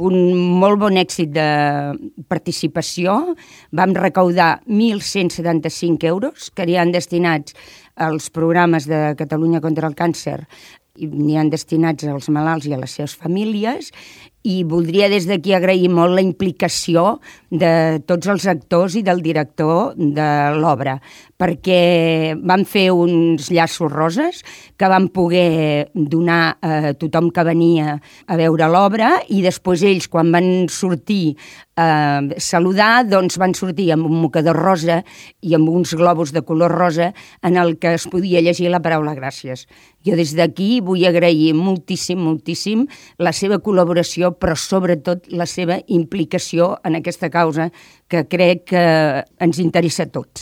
Un molt bon èxit de participació. Vam recaudar 1.175 euros que hi han destinats als programes de Catalunya contra el càncer i n'hi han destinats als malalts i a les seves famílies, i voldria des d'aquí agrair molt la implicació de tots els actors i del director de l'obra, perquè van fer uns llaços roses que van poder donar a tothom que venia a veure l'obra, i després ells, quan van sortir a saludar, doncs van sortir amb un mocador rosa i amb uns globus de color rosa en el que es podia llegir la paraula gràcies. Jo des d'aquí vull agrair moltíssim, moltíssim la seva col·laboració, però sobretot la seva implicació en aquesta causa que crec que ens interessa a tots.